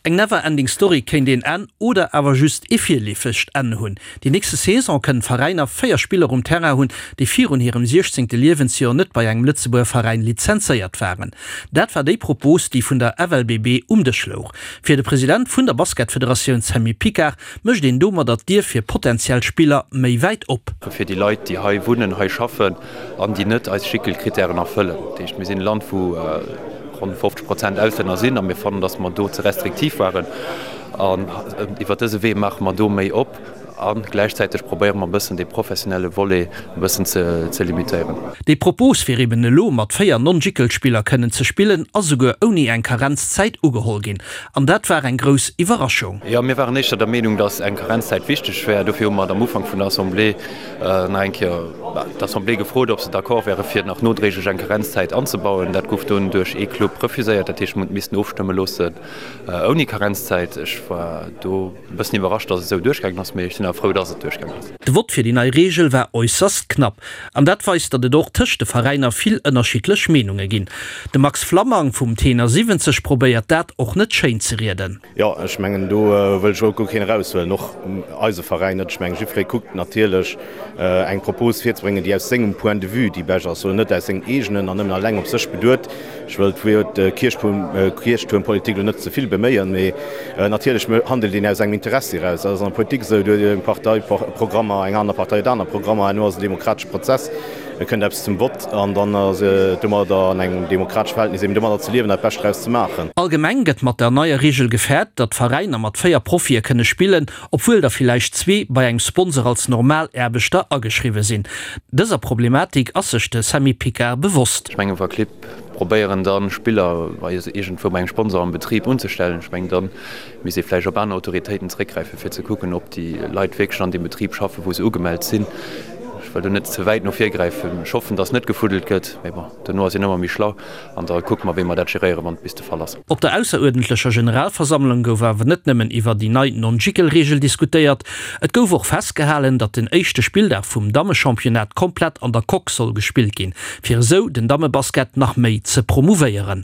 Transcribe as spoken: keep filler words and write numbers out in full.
Eng Never-Ending Story kéint een Enn oder awer just ee virleefegt Enn hunn. Déi nächste Saison kënnen d'Veräiner véier Spiller um Terrain hunn, déi virun hirem siechzéngte Liewensjoer net bei engem Lëtzebuerger Veräin lizenzéiert waren. Dat war déi Propos, déi vun der F L B B um Dësch louch. Fir de President vun der Basketfederatioun Sammy Picard mécht een domadder d'Dier fir potentiell Spiller méi wäit op. Fir déi Leit, déi hei wunnen, hei schaffen an déi net eis Schéckelkrittären erfëllen. Dat heescht, mir sinn e Land, wou ronn fofzeg Prozent Auslänner sinn a mir fannen, datt mer do ze restriktiv waren. An iwwer dëse Wee maache mer do méi op a gläichzäiteg probéiere mer e bëssen dee professionelle Volet e bëssen ze limitéieren. Déi Propos, fir eben elo mat véier Non-Jicl-Spiller kënnen ze spillen, ass esouguer ouni eng Karenzzäit ugeholl ginn. An dat war eng grouss Iwwerraschung. Jo, mir waren éischter der Meenung, datt eng Karenzzäit wichteg wär. Dofir hu mer am Ufank vun der Assemblée nach eng Kéier d'Assemblée gefrot, ob se d'accord wäre fir nach nodréiglech eng Karenzzäit anzebauen. Dat gouf dunn duerch ee Club refuséiert. Dat heescht, mir hunn et missten ofstëmme loossen ouni Karenzzäit. Ech war do e bëssen iwwerrascht, datt et esou duerchgaangen ass, mee ech sinn awer frou, datt et duerchgaangen ass. De Vott fir déi nei Reegel war äusserst knapp. An dat weist, datt et och tëscht de Veräiner vill ënnerschiddlech Meenunge ginn. De Max Flammang vum Tenor siwwenzeg probéiert dat och net schéin ze rieden. Jo, ech mengen do wëll ech och guer keen eraushuelen, och eise Veräin net. Ech mengen, jiddweree kuckt natierlech eng Propos virzebréngen, déi aus sengem Point de vue déi bescht ass, oder net aus sengem eegenen an nëmmen alleng op sech beduet. Ech wëll d'Wuert Kierchtuermpolitik elo net ze vill beméien, mee natierlech handelt een aus engem Interessi eraus. Dat ass an der Politik esou, do huet eng Partei Programmer, eng aner Partei huet aner Programmer. Herno ass et en demokratesche Prozess, et kënnt eppes zum Vott an dann ass et domadder an engem demokratesche Verhältnis eben domadder ze liewen, dat Bescht draus ze maachen. Allgemeng gëtt mat der neier Reegel gefäert, datt Veräiner mat véier Profie kënne spillen, obwuel der villäicht zwee bei engem Sponsor als normal Aarbechter ageschriwwe sinn. Dëser Problematik ass sech de Sammy Picard bewosst. Ech mengen, wa Clibb probéieren da Spiller bei iergendwou bei engem Sponsor am Betrib unzestellen, ech mengen, da misst ee vläicht op aner Autoritéiten zeréckgräifen, fir ze kucken, ob déi Leit wierklech an deem Betrib schaffen, wou se ugemellt sinn. Ech wëll do net ze wäit no vir gräifen. Ech hoffen, dass net gefuddelt gëtt, mee bon, duerno ass een ëmmer méi schlau an da kucke mer, wéi mer dat geréieren, wann et bis de Fall ass. Op der ausseruerdentlecher Generalversammlung gouf awer net nëmmen iwwer déi nei Non-Jicl-Reegel diskutéiert, et gouf och festgehalen, datt den éischte Spilldag vum Dammechampionnat komplett an der Coque soll gespillt ginn, fir esou den Dammebasket nach méi ze promouvéieren.